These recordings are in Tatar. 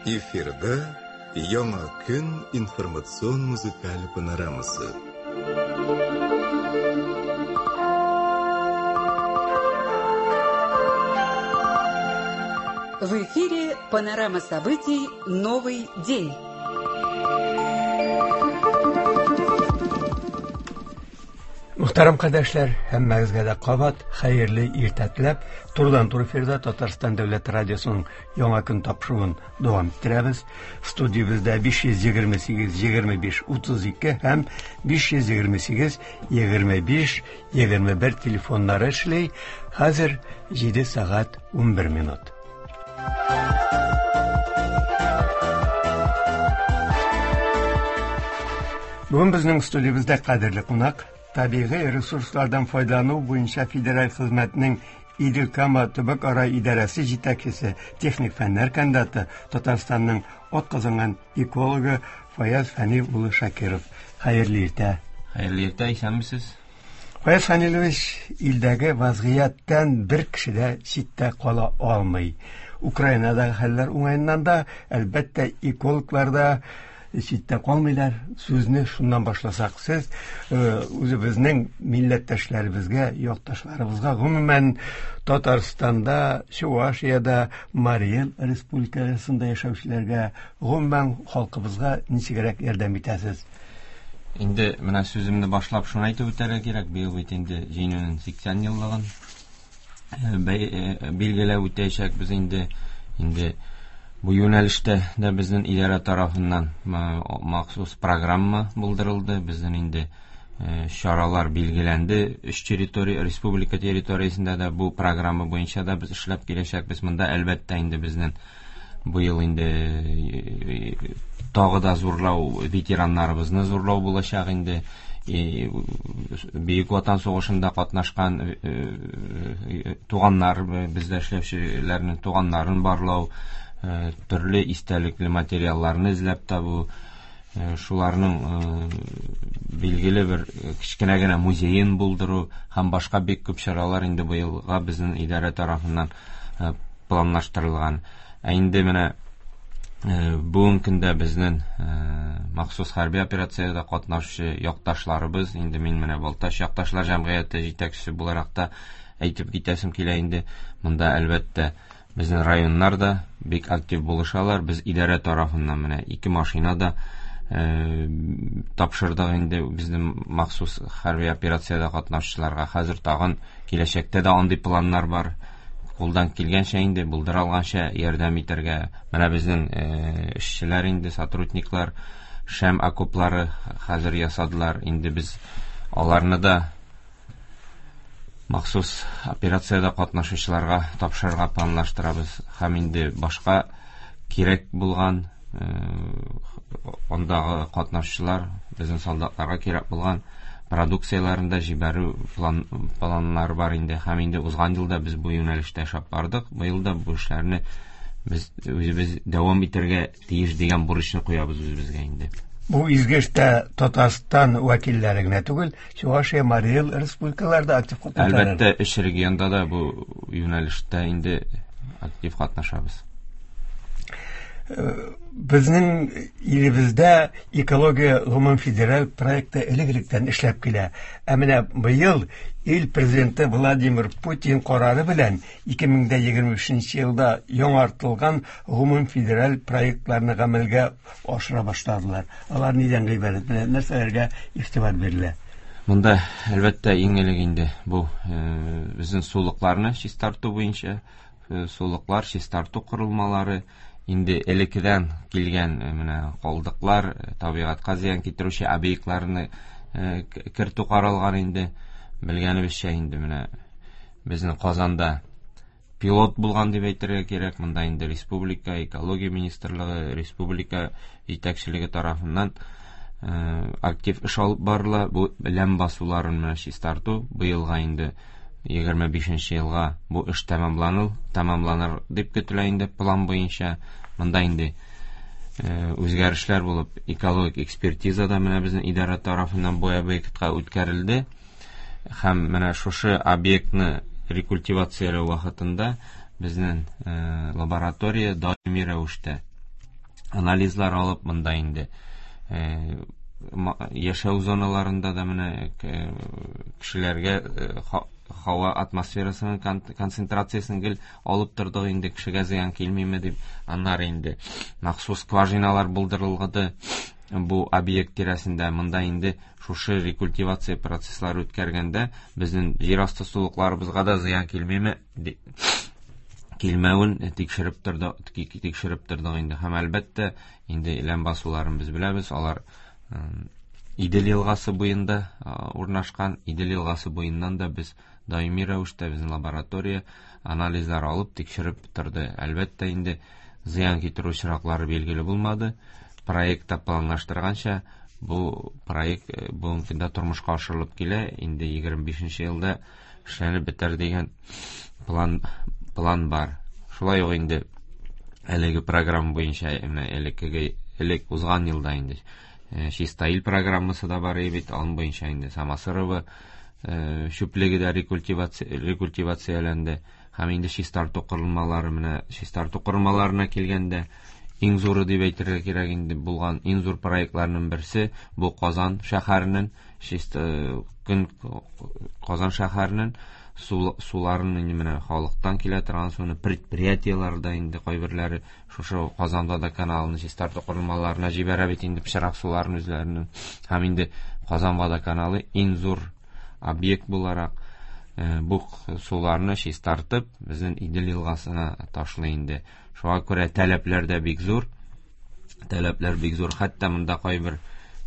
Эфирда Яңа көн информацион музыкаль панорамасы. В эфире панорама событий «Новый день». Мөхтәрәм кардәшләр, һәммәгезгә дә кабат хәерле иртә теләп, турыдан-туры эфирда Татарстан дәүләт радиосының Яңа көн тапшыруын дәвам иттерәбез. Студиябездә 528 25 32 һәм 528 25 21 телефоннары эшли. Хәзер 7 сәгать 11 минут. Бүген безнең студиябездә кадерле кунак, табигый ресурслардан файдалану буенча федераль хезмәтнең Идел-Кама төбәк-ара идарәсе җитәкчесе, техник фәннәр кандидаты, Татарстанның атказанган экологы Фаяз Фәнил улы Шакиров. Хәерле иртә. Хәерле иртә, исәнмесез. Фаяз Фәнилович, илдәге вазгыятьтән бер кеше дә читтә кала алмый. Украинадагы хәлләр уңаеннан да, әлбәттә, экологлар да читтә калмыйлар. Сүзне шуннан башласак, сез үзебезнең милләттәшләребезгә, якташларыбызга, гомумән, Татарстанда, Чувашиядә, Марий Эл республикасында яшәүчеләргә, гомумән, халкыбызга ничегрәк ярдәм итәсез? Инде менә сүземне башлап шуны әйтеп үтәргә кирәк, быел бит инде Җиңүнең 80 еллыгын билгеләп үтәчәкбез инде. Инде бу юнәлештә дә безнең идарә тарафыннан махсус программа булдырылды. Безнең инде чаралар билгеләнде. Өч территория, республика территориясендә дә бу программа буенча да без эшләп киләчәкбез. Монда әлбәттә инде безнең быел инде тагы да зурлау, ветераннарыбызны зурлау булачак инде. Бөек Ватан сугышында катнашкан туганнар, бездә эшләүчеләрнең туганнарын барлау, төрле истәлекле материалларны эзләп табу, шуларның билгеле бер кечкенә генә музеен булдыру һәм башка бик күп чаралар инде быелга безнең идарә тарафыннан планлаштырылган. Ә инде менә бүгенге көндә безнең махсус хәрби операциядә катнашучы якташларыбыз, инде мин менә Балтач якташлар җәмгыяте җитәкчесе буларак та әйтеп китәсем килә инде, монда әлбәттә безнең районнар да бик актив булышалар. Без идарә тарафыннан менә 2 машина да тапшырдык инде безнең махсус хәрби операциядә катнашучыларга. Хәзер тагын киләчәктә дә андый планнар бар. Кулдан килгәнчә инде, булдыра алганча ярдәм итәргә. Менә безнең эшчеләр инде, сотрудниклар шәм окоплары хәзер ясадылар. Инде без аларны да махсус операциядә катнашучыларга тапшырырга планлаштырабыз. Һәм инде башка кирәк булган, андагы катнашучылар, безнең солдатларга кирәк булган продукцияләрен дә җибәрү планнары бар инде. Һәм инде узган елда без бу юнәлештә эшләп бардык. Быел да бу эшләрне без үзебез дәвам итәргә тиеш дигән бурычны куябыз үзебезгә инде. Бу изге эштә Татарстан вәкилләре генә түгел, Чувашия, Марий Эл республикалары да актив катнашалар. Әлбәттә, өч регионда да бу юнәлештә инде актив катнашабыз. Безнең илебездә экология гомум федераль проекты элек-электән эшләп килә. Ә менә быел ил президенты Владимир Путин карары белән 2023 елда яңартылган гомум федераль проектларны гамәлгә ашыра башладылар. Алар нидән гыйбарәт? Менә нәрсәләргә игътибар бирелә? Монда, әлбәттә, иң элек инде бу безнең сулыкларны чистарту буенча, сулыклар чистарту корылмалары, инде элеккедән килгән менә калдыклар, табигатькә зыян китерүче объектларны кертү каралган инде. Белгәнебезчә инде менә безнең Казанда пилот булган дип әйтергә кирәк. Монда инде республика экология министрлыгы, республика җитәкчелеге тарафыннан актив эш алып барыла. Бу ләм басуларын менә чистарту быелга инде егерме бишенче елга бу эш тәмамланыр дип көтелә инде план буенча. Монда инде үзгәрешләр булып, экологик экспертиза да менә безнең идарә тарафыннан бу объектка үткәрелде. Һәм менә шушы объектны рекультивацияләү вакытында безнең лаборатория даими рәвештә Анализлар алып, монда инде яшәү зоналарында да менә кешеләргә һава атмосферасының концентрациясен гел алып тордык инде, кешегә зыян килмиме дип. Аннары инде махсус скважиналар булдырылгды бу объект тирәсендә. Монда инде шушы рекультивация процесслары үткәргәндә безнең җир асты сулыкларыбызга да зыян килмиме килмәвен тикшереп тордык инде. Һәм әлбәттә инде ләм басуларын без беләбез, алар Идел елгасы буенда урнашкан. Идел елгасы буеннан да без даими рәвештә безнең лаборатория анализлар алып тикшереп торды. Әлбәттә инде зыян китерү очраклары билгеле булмады. Проектта планлаштырганча бу проект бүгенге көндә тормышка ашырылып килә. Инде 25 елда эшләнеп бетәр дигән план бар. Шулай ук инде әлеге программа буенча менә элек узган елда инде Чиста ил программасы да бар бит, аның буенча инде Самосырово чүплеге дә рекультивацияләнде. Һәм инде чистарту корылмалары, менә чистарту корылмаларына килгәндә иң зуры дип әйтергә кирәк инде булган иң зур проектларның берсе бу Казан шәһәренең Казан шәһәренең суларын инде менә халыктан килә торган суны предприятиеләрдә инде кайберләре шушы Казанда да каналны чистарту корылмаларына җибәрә бит инде пычрак суларын үзләренең. Һәм инде Казан водоканалы иң зур объект буларак бу суларны чистартып безнең Идел елгасына ташлый инде. Шуңа күрә таләпләр дә бик зур. Таләпләр бик зур. Хәтта монда кайбер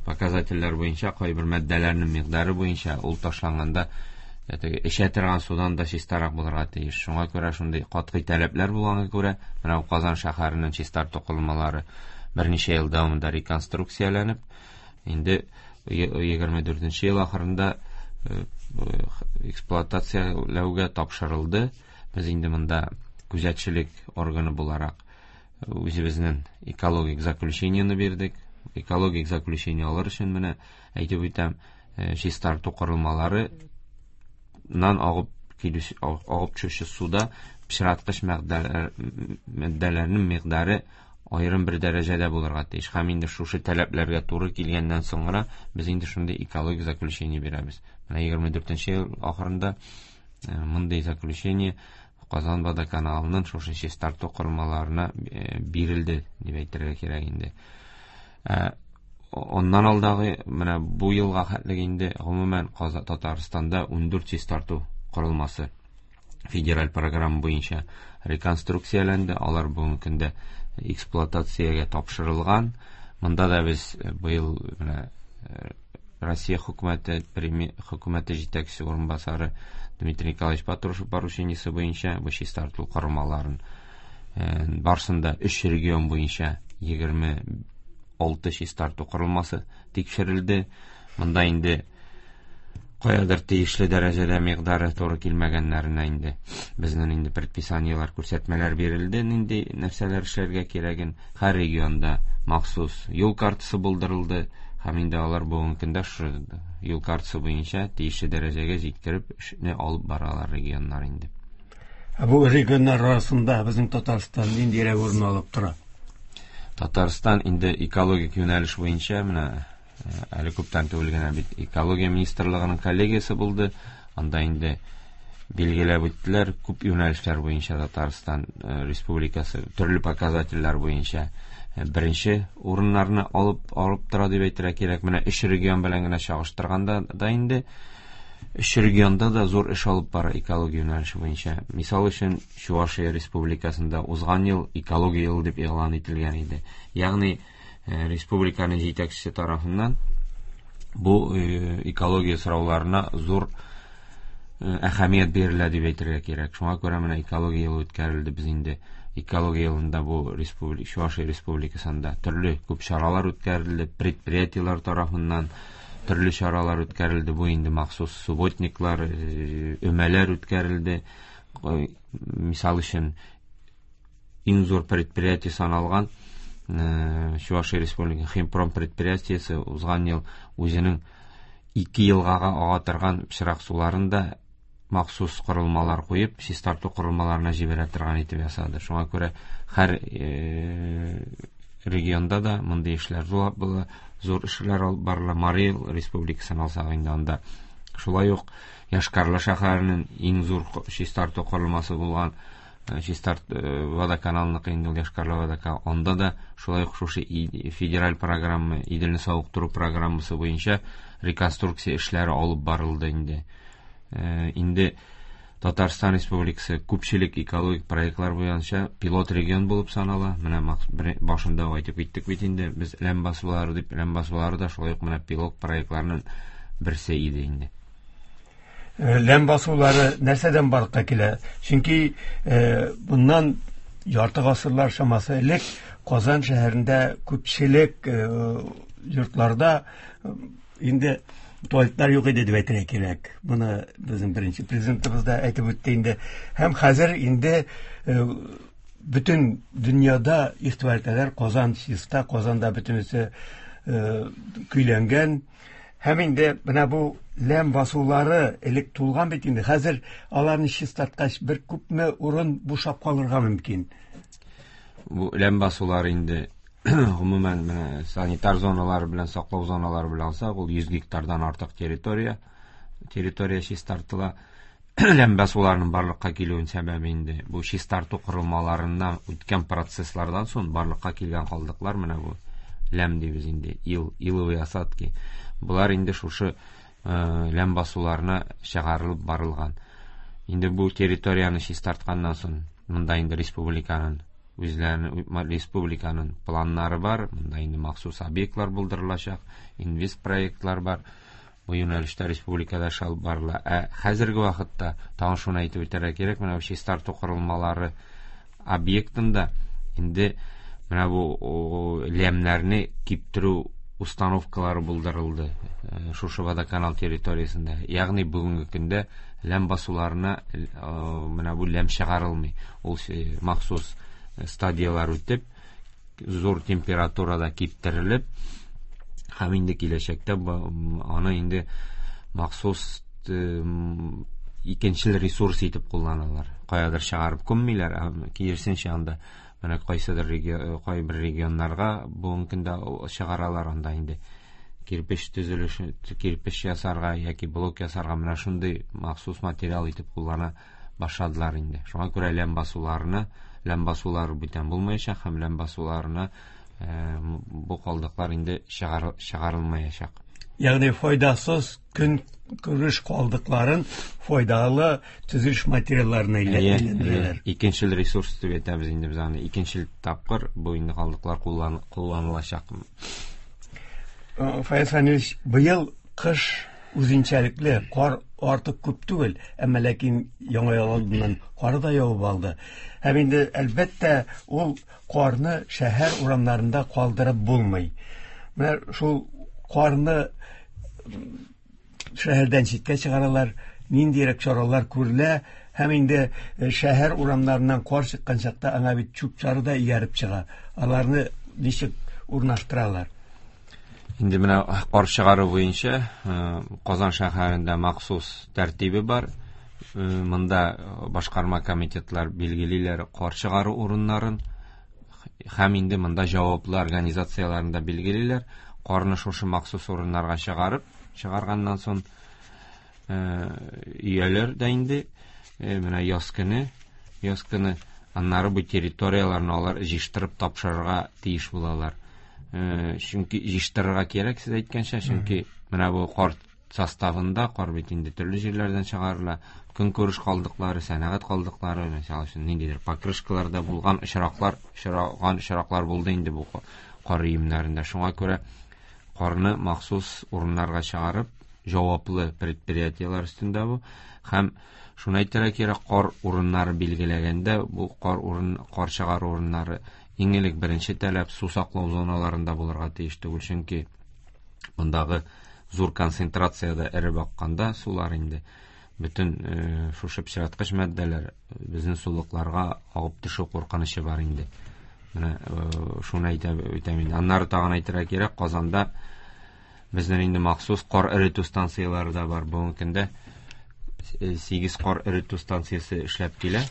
показательләр буенча, кайбер матдәләрнең микъдары буенча ул ташланганда теге эчә торган судан да чистарак булырга тиеш. Шуңа күрә шундый катгый таләпләр булганга күрә, менә бу Казан шәһәренең чистарту корылмалары берничә ел дәвамында реконструкцияләнеп, инде 24 ел ахырында эксплуатацияләүгә тапшырылды. Без инде монда күзәтчелек органы буларак үзебезнең экологик заключениене бирдек. Экологик заключение алыр өчен менә әйтеп үтәм, чистарту корылмалары нан агып килүче, агып төшүче суда пычраткыч матдәләрнең микъдары аерым бер дәрәҗәдә булырга тиеш. Һәм инде шушы таләпләргә туры килгәннән соң гына без инде шундый экологик заключение бирәбез. Менә 24 ел ахырында мондый заключение Казан водоканалының шушы чистарту корылмаларына бирелде дип әйтергә кирәк инде. Оннан алдагы менә бу елга хәтлек инде гомумән Татарстанда 14 чистарту корылмасы федераль программа буенча реконструкцияләнде. Алар бүгенге көндә эксплуатациягә тапшырылган. Монда да без быел менә Россия хөкүмәте хөкүмәте җитәкчесе урынбасары Дмитрий Николаевич Патрушев поручениесе буенча бу чистарту корылмаларын барсында 3 регион буенча 26 чистарту корылмасы тикшерелде. Монда инде каядыр тиешле дәрәҗәдә микъдары туры килмәгәннәренә инде безнең инде предписаниеләр, күрсәтмәләр бирелде, нинди нәрсәләр эшләргә кирәген. Һәр регионда махсус юл картасы булдырылды һәм инде алар бүгенге көндә шушы юл картасы буенча тиешле дәрәҗәгә җиткереп эшне алып баралар регионнар инде. Ә бу регионнар арасында безнең Татарстан ниндирәк урын алып тора? Татарстан инде экологик юнәлеш буенча менә әле күптән түгел генә бит экология министрлыгының коллегиясе булды. Анда инде билгеләп үттеләр, күп юнәлешләр буенча Татарстан Республикасы төрле показательләр буенча беренче урыннарны алып тора дип әйтергә кирәк. Менә өч регион белән генә чагыштырганда да инде өч регионда да зур эш алып бара экология юнәлеше буенча. Мисал өчен, Чувашия Республикасында узган ел экология елы дип игълан ителгән иде. Ягъни республиканың җитәкчесе тарафыннан бу экология сорауларына зур әһәмият бирелә дип әйтергә кирәк. Шуңа күрә менә экология елы үткәрелде. Без инде экология елында бу Чувашия Республикасында төрле күп чаралар үткәрелде, предприятиеләр тарафыннан төрле чаралар үткәрелде. Бу инде махсус субботниклар, өмәләр үткәрелде. Мисал өчен, иң зур предприятие саналган Чувашия Республика Химпром предприятиесе узган ел үзенең 2 елгага ага торган пычрак суларын да махсус корылмалар куеп, чистарту корылмаларына җибәрә торган итеп ясады. Шуңа күрә һәр регионда да мондый эшләр була, зур эшләр алып барыла. Марий Эл республикасын алсак инде, анда шулай ук Йошкар-Ола шәһәренең иң зур чистарту корылмасы булган чистарт водоканалныкы инде ул, Йошкар-Ола водоканал. Анда да шулай ук шушы федераль программа, Иделне савыктыру программасы буенча реконструкция эшләре алып барылды инде. Инде Татарстан Республикасы күпчелек экологик проектлар буенча пилот регион булып санала. Менә башында ук әйтеп киттек бит инде, без ләм басулары дип, ләм басулары да шулай ук менә пилот проектларның берсе иде инде. Ләм басулары нәрсәдән барлыкка килә? Чөнки bundan ярты гасырлар чамасы элек Казан шәһәрендә күпчелек йортларда инде туалетлар юк иде дип әйтергә кирәк. Моны безнең беренче президентыбыз да әйтеп үтте инде. Һәм хәзер инде бөтен дөньяда игътибар итәләр, Казан чиста, Казанда бөтенесе көйләнгән. Һәм инде менә бу ләм басулары элек тулган бит инде. Хәзер аларны чистарткач бер күпме урын бушап калырга мөмкин. Бу ләм басулары инде гомумән менә санитар зоналары белән, саклау зоналары белән алсак, ул 100 гектардан артык территория чистартыла. Ләм басуларының барлыкка килүенең сәбәбе инде бу чистарту корылмаларыннан үткән процесслардан соң барлыкка килгән калдыклар, менә бу ләм дибез инде, ил, иловые осадки. Булар инде шушы ләм басуларына чыгарылып барылган. Инде бу территорияне чистартканнан соң монда инде республиканың үзләренең, республиканың планнары бар, монда инде махсус объектлар булдырылачак, инвест проектлар бар. Бу юнәлештә республикада эш алып барыла. Ә хәзерге вакытта тагын шуны әйтеп үтәргә кирәк, менә бу чистарту корылмалары объектында инде менә бу ләмнәрне киптерү установкалары булдырылды, шушы водоканал территориясендә. Ягъни бүгенге көндә ләм басуларына, менә бу ләм чыгарылмый. Ул махсус стадиялар үтеп, зур температурада киптерелеп, һәм инде киләчәктә аны инде махсус икенчел ресурс итеп кулланалар. Каядыр чыгарып күммиләр, ә киресенчә анда менә кайсыдыр кайбер регионнарга бүгенге көндә чыгаралар, анда инде кирпеч төзелеше, кирпеч ясарга яки блок ясарга менә шундый махсус материал итеп куллана башладылар инде. Шуңа күрә ләм басуларына, ләм басулары бүтән булмаячак һәм ләм басуларына бу калдыклар инде чыгарылмаячак. Ягъни файдасыз көн күреш калдыкларын файдалы төзелеш материалларына әйләндерәләр. Икенчел ресурс дип әйтәбез инде без аны. Икенчел тапкыр бу инде калдыклар кулланылачак. Фаяз Фәнилович, быел кыш үзенчәлекле, кар артык күп түгел, әмма ләкин яңа ел алдыннан кар да явып алды. Һәм инде әлбәттә ул карны шәһәр урамнарында калдырып булмый. Менә шул карны шәһәрдән читкә чыгаралар, ниндирәк чаралар күрелә, һәм инде шәһәр урамнарыннан кар чыккан чакта аңа бит чүп-чары да ияреп чыга. Аларны ничек урнаштыралар? Инде менә кар чыгару буенча Казан шәһәрендә махсус тәртибе бар. Монда башкарма комитетлар билгелиләр кар чыгару урыннарын һәм инде монда җаваплы организацияләрен дә билгелиләр. Карны шушы махсус урыннарга чыгарып, чыгарганнан соң, өяләр дә инде, менә яз көне аннары бу территорияләрне алар җыештырып тапшырырга тиеш булалар. Чөнки җыештырырга кирәк, сез әйткәнчә, чөнки менә бу кар составында кар бит инде төрле җирләрдән чыгарыла. Көнкүреш калдыклары, сәнәгать калдыклары, мисал өчен, ниндидер покрышкаларда булган очраклар, очраган очраклар булды инде бу кар өемнәрендә. Шуңа күрә карны махсус урыннарга чыгарып, җаваплы предприятиеләр өстендә бу. Һәм шуны әйтергә кирәк, кар урыннары билгеләгәндә, бу кар чыгару урыннары иң элек беренче таләп су саклау зоналарында булырга тиеш түгел, чөнки мондагы зур концентрацияда эреп акканда сулар инде бөтен шушы пычраткыч матдәләр безнең сулыкларга агып төшү куркынычы бар инде. Менә шуны әйтәм инде. Аннары тагын әйтергә кирәк, Казанда безнең инде махсус кар эретү станцияләре дә бар. Бүгенге көндә 8 кар эретү станциясе эшләп килә.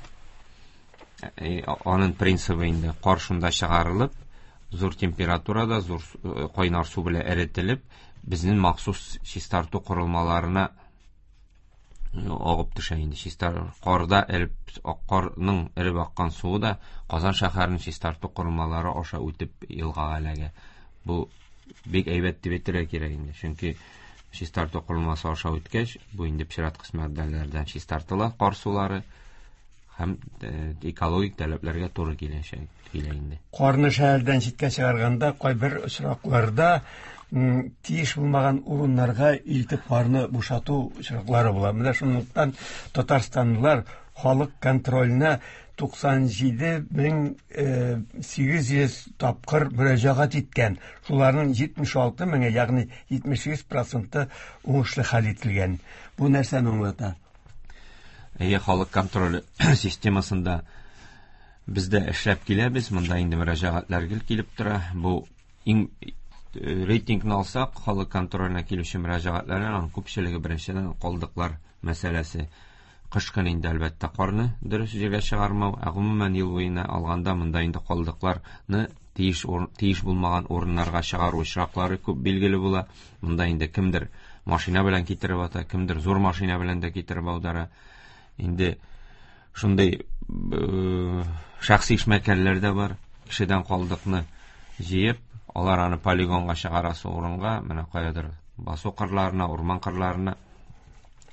Аның принцибы инде кар шунда чыгарылып, Зур температурада, зур кайнар су белән эретелеп, безнең махсус чистарту корылмаларына агып төшә инде. Чистар карда эреп, карның эреп аккан суы да Казан шәһәренең чистарту корылмалары аша үтеп елгага эләгә. Бу бик әйбәт дип әйтергә кирәк инде. Чөнки чистарту корылмасы аша үткәч, бу инде пычраткыч матдәләрдән чистартыла кар сулары һәм экологик таләпләргә туры килә инде. Карны шәһәрдән читкә чыгарганда кайбер очракларда тиеш булмаган урыннарга илтеп карны бушату очраклары була. Менә шунлыктан татарстанлылар халык контроленә 97 800 тапкыр мөрәҗәгать иткән. Шуларның 76 меңе, ягъни 78 проценты уңышлы хәл ителгән. Бу нәрсәне аңлата? Әйе, халык контроле системасында без дә эшләп киләбез. Монда инде мөрәҗәгатьләр гел килеп тора. Бу иң рейтингны алсак, халык контроленә килүче мөрәҗәгатьләрнең аның күпчелеге беренчедән калдыклар мәсьәләсе. Кыш көне инде әлбәттә карны дөрес җиргә чыгармау, ә гомумән ел буена алганда монда инде калдыкларны тиеш булмаган урыннарга чыгару очраклары күп билгеле була. Монда инде кемдер машина белән китереп ата, кемдер зур машина белән дә китереп аудара. Инде шундый шәхси эшмәкәрләр дә бар, кешедән калдыкны җыеп, алар аны полигонга чыгарасы урынга, менә каядыр басу кырларына, урман кырларына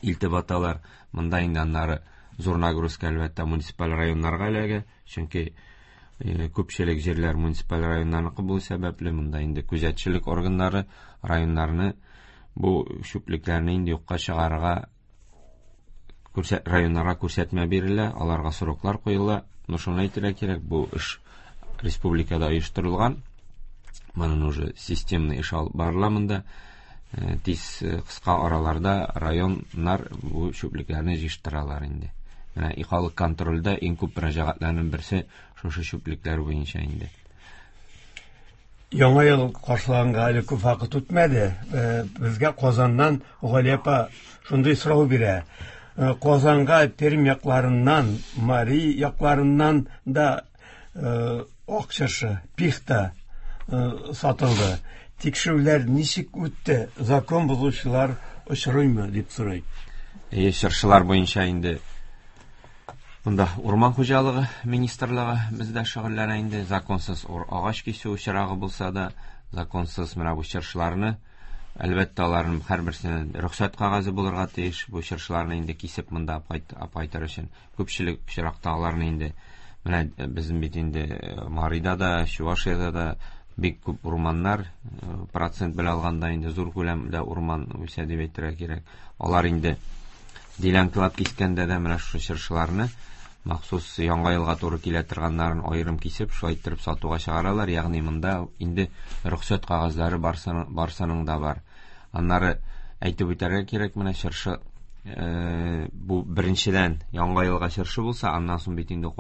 илтеп аталар. Монда инде аннары зур нагрузка әлбәттә муниципаль районнарга эләгә, чөнки күпчелек җирләр муниципаль районнарныкы булу сәбәпле, монда инде күзәтчелек органнары районнарны бу чүплекләрне инде юкка чыгарырга районнарга күрсәтмә бирелә, аларга сроклар куела. Но шуны әйтергә кирәк, бу эш республикада оештырылган. Моның уже системный эш алып барыла монда. Тиз кыска араларда районнар бу чүплекләрне җыештыралар инде. Менә халык контрольдә иң күп мөрәҗәгатьләрнең берсе шушы чүплекләр буенча инде. Яңа ел каршыланга әле күп вакыт үтмәде. Безгә Казаннан Галия апа шундый сорау бирә. Казанга Пермь якларыннан, Мари якларыннан да ак чыршы, пихта сатылды. Тикшерүләр ничек үтте? Закон бозучылар очрыймы дип сорый. Әйе, чыршылар буенча инде монда урман хуҗалыгы министрлыгы бездә шөгыльләнә инде. Законсыз агач кисү очрагы булса да, законсыз менә бу чыршыларны, әлбәттә, аларның һәрберсенә рөхсәт кәгазе булырга тиеш. Бу чыршыларны инде кисеп монда апайтыр өчен күпчелек очракта аларны инде менә безнең бит инде Марида да, Чувашиядә дә бик күп урманнар, процент белән алганда инде зур күләмдә урман үсә дип әйтергә кирәк. Алар инде делянкалап кискәндә дә менә шушы чыршыларны махсус яңа елга туры килә торганнарын аерым кисеп, шулай иттереп сатуга чыгаралар. Ягъни монда инде рөхсәт кәгазьләре барсының да бар. Аннары әйтеп үтәргә кирәк, менә чыршы бу беренчедән яңа елга чыршы булса, аннан соң бит инде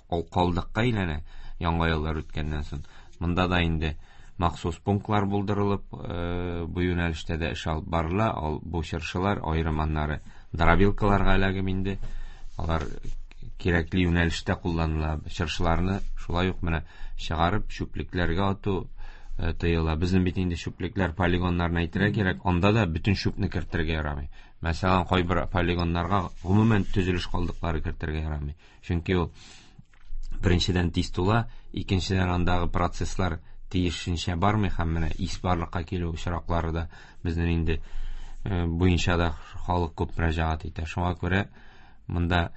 калдыкка әйләнә яңа еллар үткәннән соң. Монда да инде махсус пунктлар булдырылып, бу юнәлештә дә эш алып барыла. Бу чыршылар аерым аннары дробилкаларга эләгеп инде алар кирәкле юнәлештә кулланыла. Чыршыларны шулай ук менә чыгарып чүплекләргә ату тыела. Безнең бит инде чүплекләр полигоннарны әйтергә кирәк, анда да бөтен чүпне кертергә ярамый. Мәсәлән, кайбер полигоннарга гомумән төзелеш калдыклары кертергә ярамый. Чөнки ул беренчедән тиз тула, икенчедән андагы процесслар тиешенчә бармый һәм менә ис барлыкка килү очраклары да безнең инде буенча да халык күп мөрәҗәгать итә. Шуңа күрә монда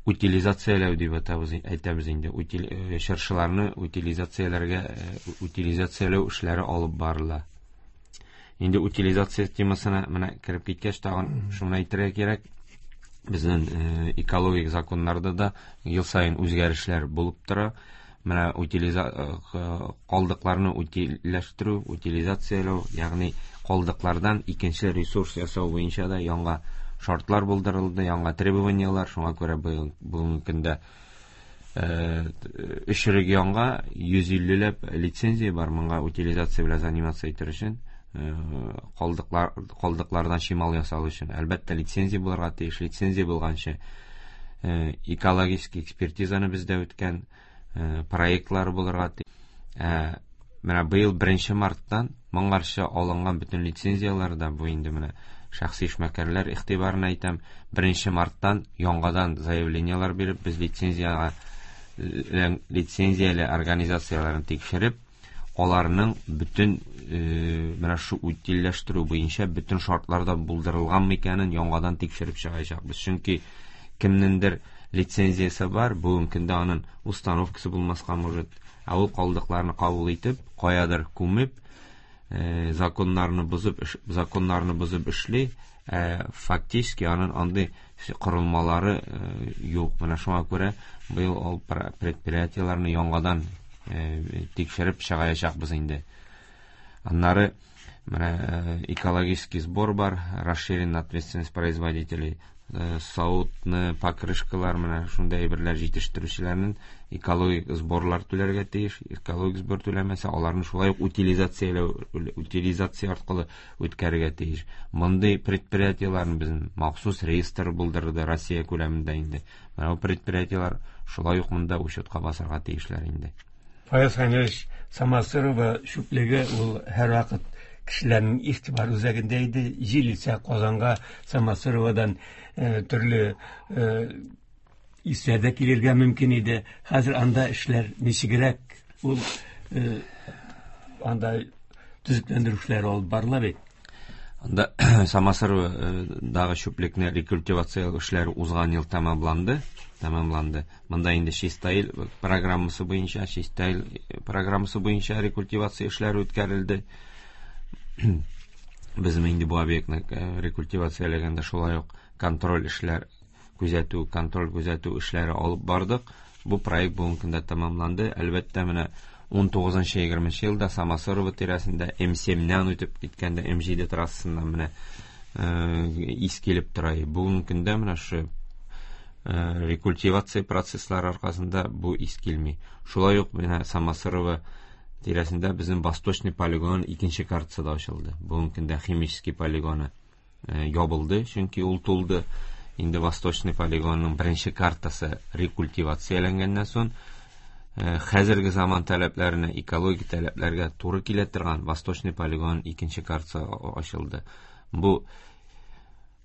утилизацияләү дип әйтәбез инде. Чыршыларны утилизацияләү эшләре алып барыла. Инде утилизация темасына менә кереп киткәч, тагын шуны әйтергә кирәк. Безнең экологик законнарда да ел саен үзгәрешләр булып тора. Менә калдыкларны утильләштерү, утилизацияләү, ягъни калдыклардан икенче ресурс ясау буенча да яңа шартлар булдырылды, яңа требованияләр. Шуңа күрә бүгенге көндә өч регионга йөз иллеләп лицензия бар моңа утилизация белән заниматься итер өчен, калдыклардан чимал ясау өчен. Әлбәттә, лицензия булырга тиеш. Лицензия булганчы, экологический экспертизаны бездә үткән, проектлар булырга тиеш. Менә быел 1 марттан моңарчы алынган бөтен лицензияләр дә бу инде менә шәхси эшмәкәрләр игътибарына әйтәм, 1 марттан яңадан заявлениеләр биреп, без лицензияле организацияләрен тикшереп, аларның бөтен менә шу утильләштерү буенча бөтен шартлар да булдырылган микәнен яңадан тикшереп чыгачакбыз. Чөнки кемнеңдер лицензиясе бар, бүгенге көндә аның установкасы булмаска может, ә ул калдыкларны кабул итеп, каядыр күмеп, законнарны бозып эшли, фактически аның андый корылмалары юк. Менә шуңа күрә быел ул предприятиеләрне яңадан тикшереп чыгаячакбыз инде. Аннары менә экологический сбор бар, расширенная ответственность производителей, савытны, покрышкалар, менә шундай әйберләр җитештерүчеләрнең экологик сборлар түләргә тиеш. Экологик сбор түләмәсә, аларны шулай ук утилизация аркылы үткәрергә тиеш. Мондый предприятиеләрне безнең махсус реестр булдырды Россия күләмендә инде. Менә бу предприятиеләр шулай ук монда учетка басарга тиешләр инде. Фаяз Хәнилович, Самосырово чүплеге ул һәрвакыт кешеләрнең игътибар үзәгендә иде. Җил исә Казанга Самосыровадан төрле исләр дә килергә мөмкин иде. Хәзер анда эшләр ничегрәк? Ул анда төзекләндерү эшләре алып барыла бит. Анда Самосыровадагы чүплекне рекультивация эшләре узган ел тәмамланды. Монда инде Чистаил программасы буенча, Чистаил программасы буенча рекультивация эшләре үткәрелде. Без инде бу объектны рекультивацияләгәндә шулай ук контроль эшләр, күзәтү, контроль күзәтү эшләре алып бардык. Бу проект бүгенге көндә тәмамланды. Әлбәттә, менә 19-20 елда Самосырово тирәсендә М7-нән үтеп киткәндә М7 трассасыннан менә ис килеп тора. Бүгенге көндә менә шу рекультивация процесслары аркасында бу ис килми. Шулай ук менә Самосырово тирәсендә безнең Восточный полигон икенче картасы да ачылды. Бүгенге көндә химический полигоны ябылды, чөнки ул тулды. Инде Восточный полигонның беренче картасы рекультивацияләнгәннән соң, хәзерге заман таләпләренә, экологик таләпләргә туры килә торган Восточный полигон икенче картасы ачылды. Бу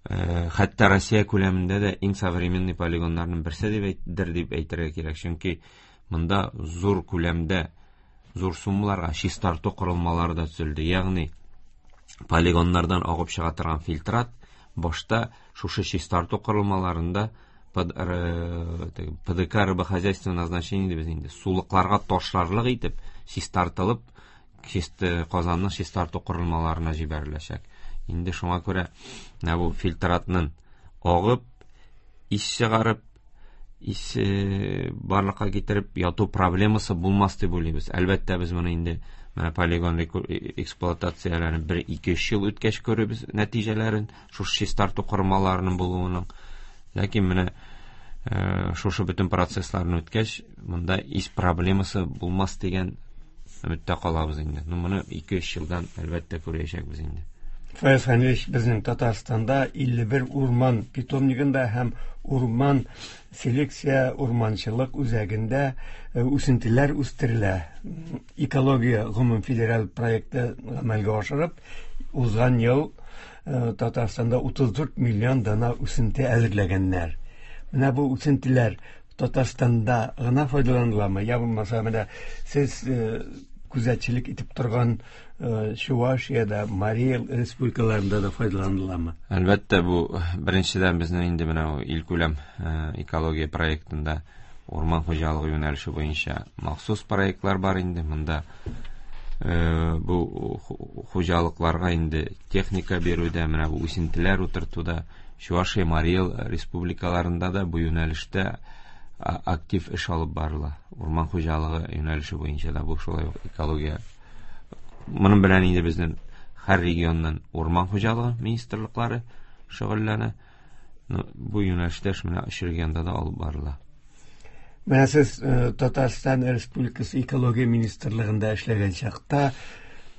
хәтта Россия күләмендә дә иң современный полигоннарның берсе дип әйтергә кирәк, чөнки монда зур күләмдә, зур суммаларга чистарту корылмалары да төзелде. Ягъни полигоннардан агып чыга торган фильтрат башта шушы чистарту корылмаларында ПДК рыбохозяйственного назначения дибез инде, сулыкларга ташларлык итеп чистартылып, Казанның чистарту корылмаларына җибәреләчәк. Инде шуңа күрә менә бу фильтратның агып, ис чыгарып, ис барлыкка китереп яту проблемасы булмас дип уйлыйбыз. Әлбәттә, без моны инде менә полигон эксплуатацияләрен 1-2-3 ел үткәч күрербез нәтиҗәләрен, шушы чистарту корылмаларының булуының. Ләкин менә шушы бөтен процессларны үткәч, монда ис проблемасы булмас дигән өметтә калабыз инде. Моны 2-3 елдан әлбәттә күрәчәкбез инде. Фаяз Хәнилович, безнең Татарстанда 51 урман питомнигында һәм урман селекция урманчылык үзәгендә үсентеләр үстерелә. Экология гомум федераль проекты гамәлгә ашырып, узган ел Татарстанда 34 миллион дана үсенте әзерләгәннәр. Менә бу үсентеләр Татарстанда гына файдаланыламы? Я булмаса, менә сез күзәтчелек итеп торган Чувашиядә, Марий Эл республикаларында да файдаланыламы? Әлбәттә, бу беренчедән безнең инде менә илкүләм экология проектында урман хуҗалыгы юнәлеше буенча махсус проектлар бар инде. Монда бу хуҗалыкларга инде техника бирүдә, менә бу үсентеләр утыртуда, Чувашия, Марий Эл республикаларында да бу юнәлештә актив эш алып барыла. Урман хуҗалыгы юнәлеше буенча да бу шулай ук экология. Моның белән инде безнең һәр регионнан урман хуҗалыгы министрлыклары шөгыльләнә. Бу юнәлештә эш менә өч регионда да алып барыла. Менә сез Татарстан Республикасы экология министрлыгында эшләгән чакта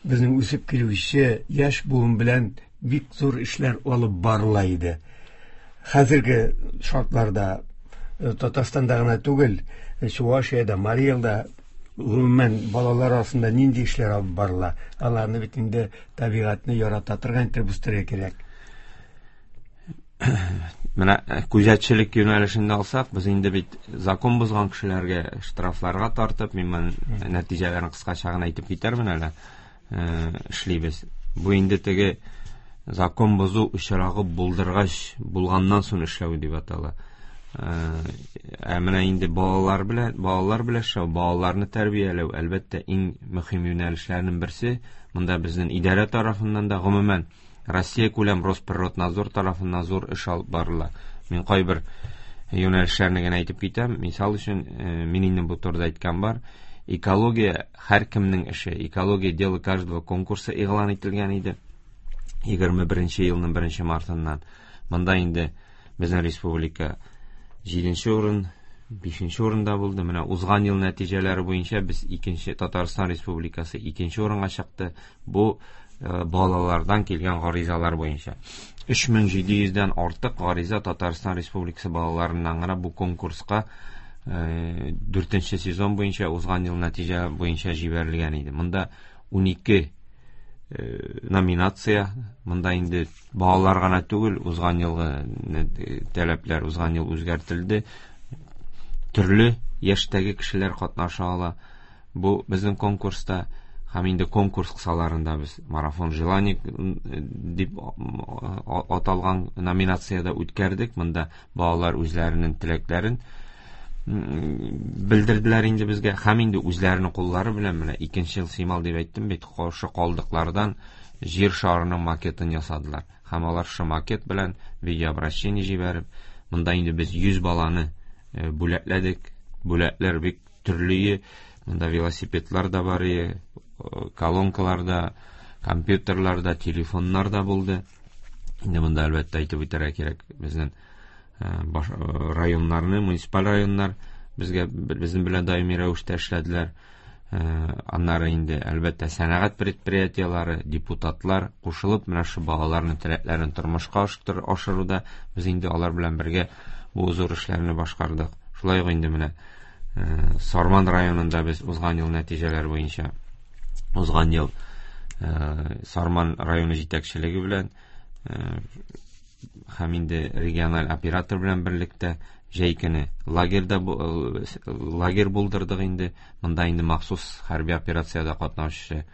безнең үсеп килүче яшь буын белән бик зур эшләр алып барыла иде. Хәзерге шартларда Татарстанда гына түгел, Чувашиядә, Марий Элда Гомумән, балалар арасында нинди эшләр алып барыла? Аларны бит инде табигатьне ярата торган итеп үстерергә кирәк. Менә күзәтчелек юнәлешендә алсак, без инде бит закон бозган кешеләргә штрафларга тартып, мин моның нәтиҗәләрен кыскача гына әйтеп китәрмен әле, эшлибез. Бу инде теге закон бозу очрагы булдыргач, булганнан соң эшләү дип атала. Ә менә инде балалар белән эшләү, балаларны тәрбияләү, әлбәттә, иң мөһим юнәлешләрнең берсе. Монда безнең идарә тарафыннан да, гомумән, Россия күләм Росприроднадзор тарафыннан зур эш алып барыла. Мин кайбер юнәлешләрне генә әйтеп китәм. Мисал өчен, мин инде бу турыда әйткән бар. Экология һәркемнең эше. Экология дело каждого конкурсы игълан ителгән иде. 21 елның 1 мартыннан. Монда инде безнең республика 7 урын, 5 урында булды. Менә узган ел нәтиҗәләре буенча без 2-нче Татарстан Республикасы 2-нче урынга чыкты. Бу балалардан килгән гаризалар буенча. 3700-дән артык гариза Татарстан Республикасы балаларыннан гына бу конкурска 4-нче сезон буенча узган ел нәтиҗә буенча җибәрелгән иде. Монда 12 номинация, монда инде балалар гына түгел, узган елгы таләпләр узган ел үзгәртелде. Төрле яшьтәге кешеләр катнаша ала. Бу безнең конкурста һәм инде конкурс кысаларында без марафон желаний дип аталган номинациядә үткәрдек. Монда балалар үзләренең теләкләрен белдерделәр инде безгә һәм инде үзләренең куллары белән менә икенче ел симал дип әйттем бит, шушы калдыклардан җир шарының макетын ясадылар. Һәм алар шушы макет белән видеообращение җибәреп, монда инде без 100 баланы бүләкләдек. Бүләкләр бик төрле, монда велосипедлар да бар, колонкалар да, компьютерлар да, телефоннар да булды. Инде монда әлбәттә әйтеп үтәргә кирәк, безнең районнарны, муниципаль районнар безгә безнең белән даими рәвештә эшләделәр. Аннары инде әлбәттә сәнәгать предприятиеләре, депутатлар кушылып менә шу балаларның теләкләрен тормышка ашыруда без инде алар белән бергә бу зур эшләрне башкардык. Шулай ук инде менә Сарман районында без узган ел нәтиҗәләре буенча узган ел Сарман районы җитәкчелеге белән һәм инде региональ оператор белән берлектә җәй көне лагерь булдырдык инде. Монда инде махсус хәрби операциядә катнашучы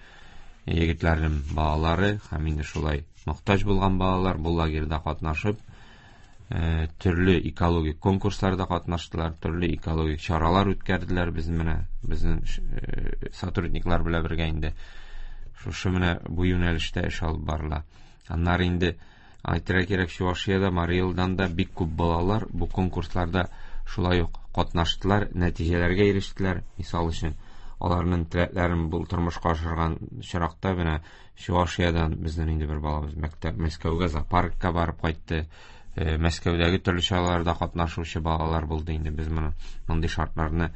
егетләрнең балалары һәм инде шулай мохтаҗ булган балалар бу лагерьда катнашып, төрле экологик конкурсларда катнаштылар, төрле экологик чаралар үткәрделәр. Без менә безнең сотрудниклар белән бергә инде шушы менә бу юнәлештә эш алып барыла. Аннары инде әйтергә кирәк, Чувашиядә, Марий Элдан да бик күп балалар бу конкурсларда шулай ук катнаштылар, нәтиҗәләргә ирештеләр. Мисал өчен, аларның теләкләрен бу тормышка ашырган чиракта менә Чувашиядән безнең инде бер балабыз мәктәп Мәскәүгә зоопаркка барып кайтты. Мәскәүдәге төрле чараларда катнашучы балалар булды инде. Без моны мондый шартларны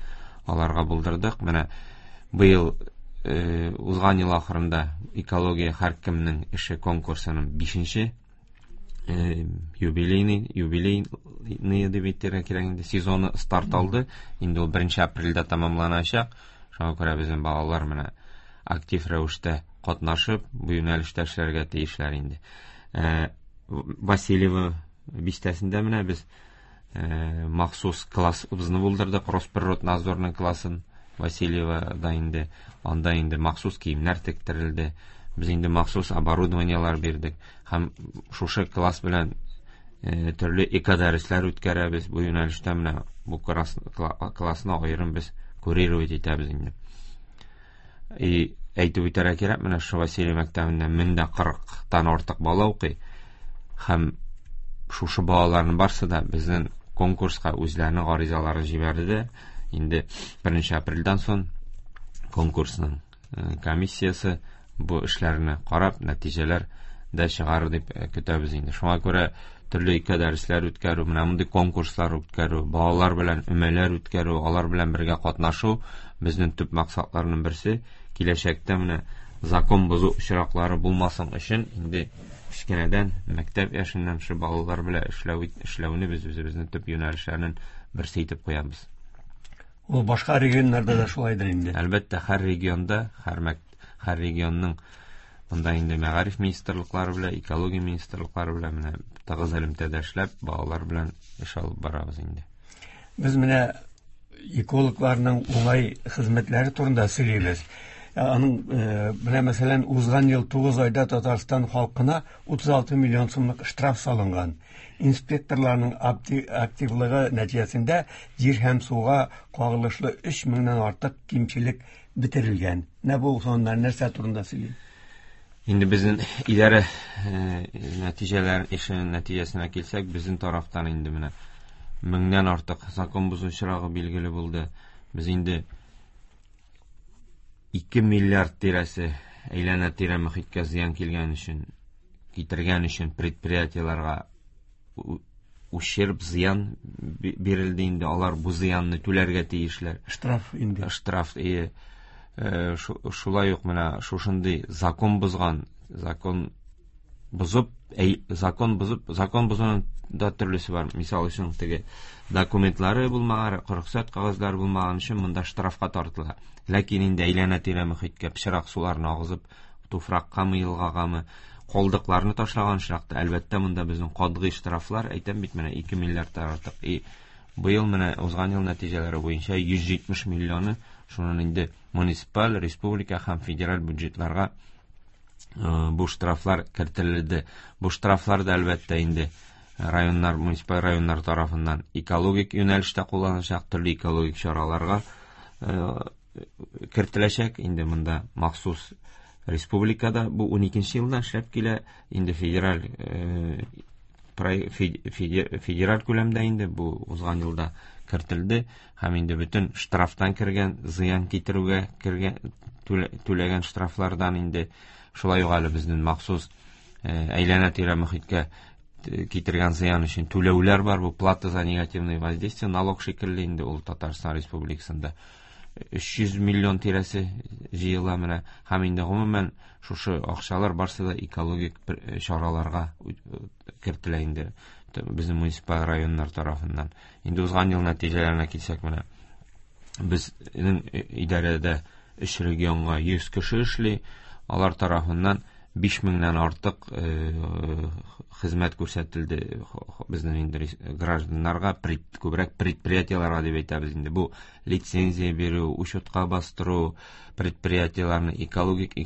аларга булдырдык. Менә быел узган ел ахырында экология һәркемнең эше конкурсының 5-нче юбилейный дип әйтергә кирәк инде сезоны старт алды. Инде ул 1 апрельдә тәмамланачак. Шуңа күрә безнең балалар менә актив рәвештә катнашып, бу юнәлештә эшләргә тиешләр инде. Васильево бистәсендә менә без махсус классыбызны булдырдык, Росприроднадзорның классын Васильевода инде, анда инде махсус киемнәр тектерелде. Без инде махсус оборудованиелар бирдек һәм шушы класс белән төрле экодәресләр үткәрәбез. Бу юнәлештә менә бу классны аерым без курировать итәбез инде. И әйтеп үтәргә кирәк, менә шушы Василий мәктәбендә 1040-тан артык бала укый һәм шушы балаларның барсы да безнең конкурска үзләренең гаризаларын җибәрде. Инде 1 апрельдән соң конкурсның комиссиясе бу эшләрне карап, нәтиҗәләр дә чыгарыр дип көтәбез инде. Шуңа күрә төрле экодәресләр үткәрү, менә мондый конкурслар үткәрү, балалар белән өмәләр үткәрү, алар белән бергә катнашу безнең төп максатларның берсе. Киләчәктә менә закон бозу очраклары булмасын өчен инде кечкенәдән мәктәп яшеннән шу балалар белән эшләүне без үзебезнең төп юнәлешләрнең берсе итеп куябыз. Ул башка регионнарда да шулайдыр инде. Әлбәттә, һәр регионда, һәр регионның монда инде мәгариф министрлыклары белән, экология министрлыклары белән менә тыгыз элемтәдә эшләп, балалар белән эш алып барабыз инде. Без менә экологларның уңай хезмәтләре турында сөйлибез. Аның менә мәсәлән, узган ел 9 айда Татарстан халкына 36 миллион сумлык штраф салынган. Инспекторларның активлыгы нәтиҗәсендә җир һәм суга кагылышлы 3 меңнән артык кимчелек бетерелгән. Менә бу саннар нәрсә турында сөйли? Инде безнең идарә нәтиҗәләр эшенең нәтиҗәсенә килсәк, безнең тарафтан инде менә меңнән артык закон бозу очрагы билгеле булды. Без инде 2 миллиард тирәсе әйләнә-тирә мөхиткә зыян килгән өчен, китергән өчен предприятиеләргә ущерб, зыян бирелде инде. Алар бу зыянны түләргә тиешләр. Штраф инде. Штраф, ие. Шулай ук менә шушындый закон бозган, закон бозып, закон бозып, закон бозуның да төрлесе бар. Мисал өчен, теге документлары булмаган, рөхсәт кәгазьләре булмаган өчен монда штрафка тартыла. Ләкин инде әйләнә-тирә мөхиткә пычрак суларны агызып, туфраккамы, елгагамы, калдыкларны ташлаган очракта, әлбәттә, монда безнең катгый штрафлар, әйтәм бит, менә 2 миллиардтан артык. И быел менә узган ел нәтиҗәләре буенча 170 миллионы шуннан инде муниципаль, республика һәм федераль бюджетларга бу штрафлар кертелде. Бу штрафлар да әлбәттә инде районнар, муниципаль районнар тарафыннан экологик юнәлештә кулланылачак, төрле экологик чараларга кертеләчәк. Инде монда махсус республикада бу 12 елдан эшләп килә, инде федераль федераль күләмдә инде бу узган елда кертелде һәм инде бөтен штрафтан кергән зыян китерүгә кергән түләгән штрафлардан инде шулай ук әле безнең махсус әйләнә-тирә мөхиткә китергән зыян өчен түләүләр бар. Бу плата за негативное воздействие, налог шикелле инде ул Татарстан Республикасында 300 миллион тирәсе җыела менә. Һәм инде гомумән шушы акчалар барсы да экологик чараларга кертелә инде безнең муниципаль районнар тарафыннан. Инде узган ел нәтиҗәләренә килсәк, менә безнең идарәдә 3 регионга 100 кеше эшли, алар тарафыннан 5 меңнән артык хезмәт күрсәтелде безнең инде гражданнарга, күбрәк предприятиеләргә дип әйтәбез инде. Бу лицензия бирү, учетка бастыру, предприятиеләрне экологик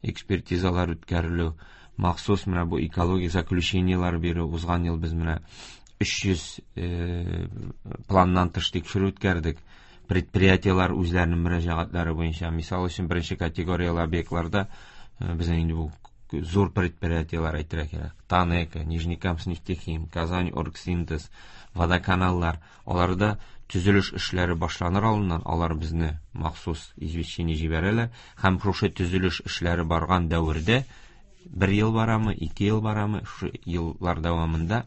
экспертизалар үткәрелү, махсус менә бу экологик заключениелар бирү. Узган ел без менә 300 планнан тыш тикшерү үткәрдек. Предприятиеләр үзләренең мөрәҗәгатьләре буенча, мисал өчен, беренче категорияле объектларда безнең инде бу зур предприятиеләр әйтергә кирәк. Танека, Нижнекамскнефтехим, Казань Оргсинтез, водоканаллар, аларда төзелеш эшләре башланыр алдыннан алар безне махсус извещение җибәрәләр һәм шушы төзелеш эшләре барган дәвердә 1 ел барамы, 2 ел барамы, шушы еллар дәвамында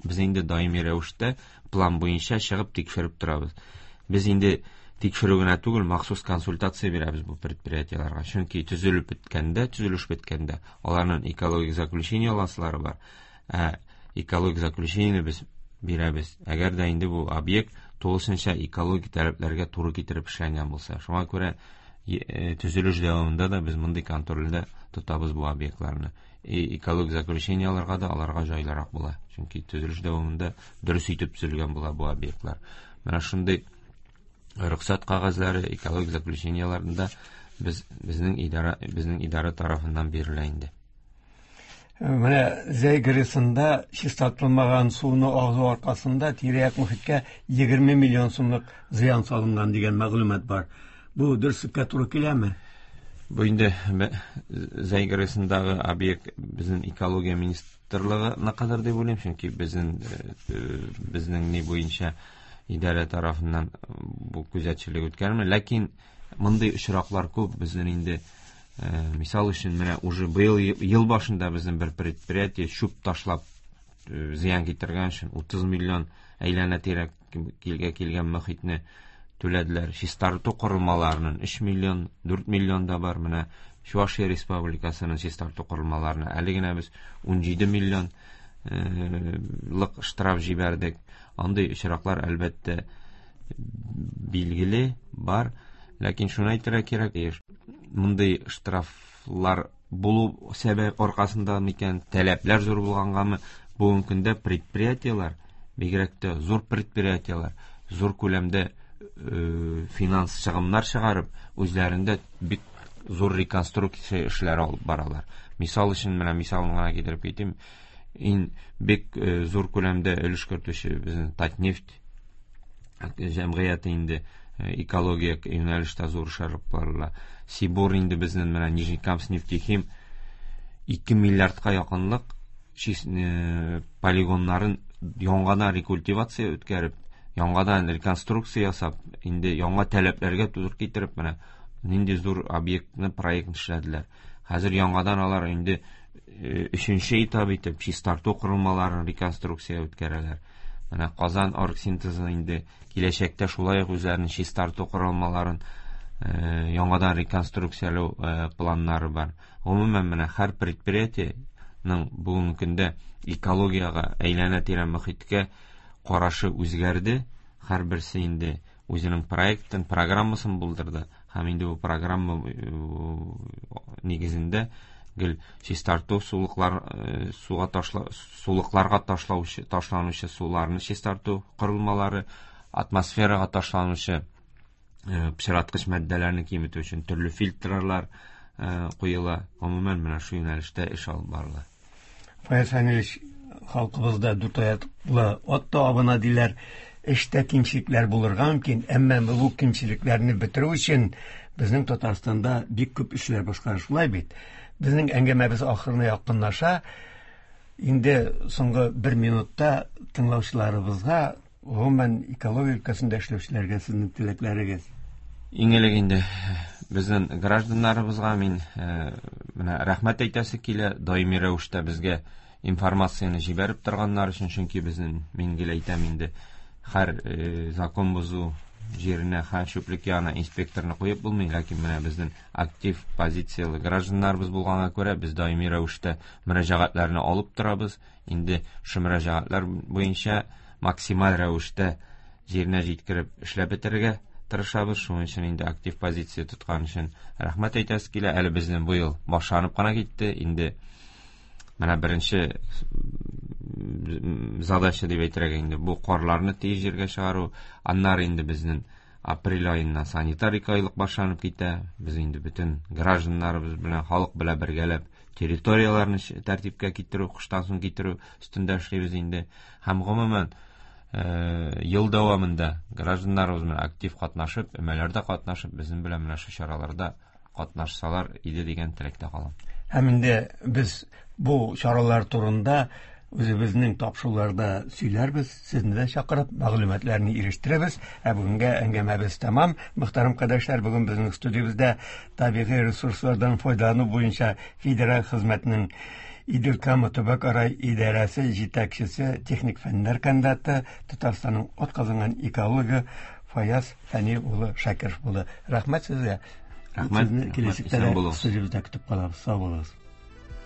без инде даими рәвештә план буенча чыгып тикшереп торабыз. Без инде тикшерү генә түгел, махсус консультация бирәбез бу предприятиеләргә. Чөнки төзелеп беткәндә, төзелеш беткәндә аларның экологик заключение аласылары бар. Ә экологик заключениене без бирәбез. Әгәр дә инде бу объект тулысынча экологик таләпләргә туры китереп эшләнгән булса. Шуңа күрә төзелеш дәвамында да без мондый контрольдә тотабыз бу объектларны. И экологик заключение алырга да аларга җайлырак була. Чөнки төзелеш дәвамында дөрес итеп төзелгән була бу объектлар. Менә шундый рөхсәт кәгазьләре, экологик заключениеләрендә безнең идарә тарафыннан бирелә инде. Менә Зәй ГРЭСында чистартылмаган суны агызу аркасында тирә-як мөхиткә 20 миллион сумлык зыян салынган дигән мәгълүмат бар. Бу дөреслеккә туры киләме? Бу инде Зәй ГРЭСындагы объект безнең экология министрлыгына кадәр дип уйлыйм, чөнки безнең ни буенча идарә тарафыннан бу күзәтчелек үткәрелми. Ләкин мондый очраклар күп. Безнең инде, мисал өчен, менә уже быел ел башында безнең бер предприятие чүп ташлап зыян китергән өчен 30 миллион әйләнә-тирә килгә килгән мөхитне түләделәр. Чистарту корылмаларының 3 миллион, 4 миллион да бар. Менә Чувашия Республикасының чистарту корылмаларына әле генә без 17 миллион лык штраф җибәрдек. Андый очраклар әлбәттә Билгеле бар, ләкин шуны әйтергә кирәк, мондый штрафлар булу сәбәп аркасында микән, таләпләр зур булгангамы, бүгенге көндә предприятиеләр, бигрәк тә зур предприятиеләр, зур күләмдә финанс чыгымнар чыгарып, үзләрендә бик зур реконструкция эшләре алып баралар. Мисал өчен, менә мисалын гына китереп китим. Ин бик зур күләмдә өлеш кертүче безнең Татнефть җәмгыяте инде экология юнәлештә зур эш алып барыла. Сибур инде безнең менә Нижнекамск нефтехим 2 миллиардка якынлык полигоннарын яңадан рекультивация үткәреп, яңадан реконструкция ясап, инде яңа таләпләргә туры китереп, менә нинди зур объектны, проектны эшләделәр. Хәзер яңадан алар инде өченче этап итеп чистарту корылмаларын реконструкция үткәрәләр. Менә Казан оргсинтезы инде киләчәктә шулай ук үзләренең чистарту корылмаларын яңадан реконструкцияләү планнары бар. Гомумән, менә һәр предприятиенең бүгенге көндә экологиягә, әйләнә-тирә мохиткә карашы үзгәрде. Һәрберсе инде үзенең проектын, программасын булдырды. Һәм инде бу программа нигезендә гел чистарту сулыклар, суга ташла, сулыкларга ташлаучы, ташланучы суларны чистарту корылмалары, атмосферага ташланучы пычраткыч матдәләрне киметү өчен төрле фильтрлар куела. Гомумән, менә шу юнәлештә эш алып барыла. Фаяз Фәнилович, халкыбызда дүрт аяклы ат та абына диләр. Эштә кимчелекләр булырга мөмкин, әмма бу кимчелекләрне бетерү өчен безнең Татарстанда бик күп эшләр башкарыла, шулай бит. Безнең әңгәмәбез ахырына якынлаша. Инде соңгы бер минутта тыңлаучыларыбызга, гомумән экология өлкәсендә эшләүчеләргә сезнең теләкләрегез. Иң элек инде безнең гражданнарыбызга мин менә рәхмәт әйтәсе килә, даими рәвештә безгә информацияне җибәреп торганнар өчен, чөнки безнең, мин гел әйтәм инде, һәр закон бозу җиренә, һәр чүплек янына инспекторны куеп булмый, ләкин менә безнең актив позицияле гражданнарыбыз булганга күрә, без даими рәвештә мөрәҗәгатьләрне алып торабыз. Инде шу мөрәҗәгатьләр буенча максималь рәвештә җиренә җиткереп эшләп бетерергә тырышабыз. Шуның өчен инде актив позиция тоткан өчен рәхмәт әйтәсе килә. Әле безнең бу ел башланып кына китте. Инде менә беренче задача дип әйтергә инде бу карларны тиз җиргә чыгару. Аннары инде безнең апрель аеннан санитар айлык башланып китә. Без инде бөтен гражданнарыбыз белән, халык белән бергәләп территорияләрне тәртипкә китерү, кыштан соң китерү өстендә эшлибез инде. Һәм гомумән, ел дәвамында гражданнарыбыз белән актив катнашып, өмәләрдә катнашып, безнең белән менә шу чараларда катнашсалар иде дигән теләктә калам. Һәм инде без бу чаралар турында үзебезнең тапшыруларда сөйләрбез, сезне дә чакырып, мәгълүматларны ирештерәбез. Ә бүгенгә әңгәмәбез тәмам. Мөхтәрәм кардәшләр, бүген безнең студиябездә табигый ресурслардан файдалану буенча федераль хезмәтнең Идел Кама төбәкара идарәсе җитәкчесе, техник фәннәр кандидаты, Татарстанның атказанган экологы Фаяз Фәнил улы Шакиров булды. Рәхмәт сезгә. Рәхмәт. Сезне киләчәктә Исән дә булыгыз. студиябездә көтеп калабыз. Сау булыгыз.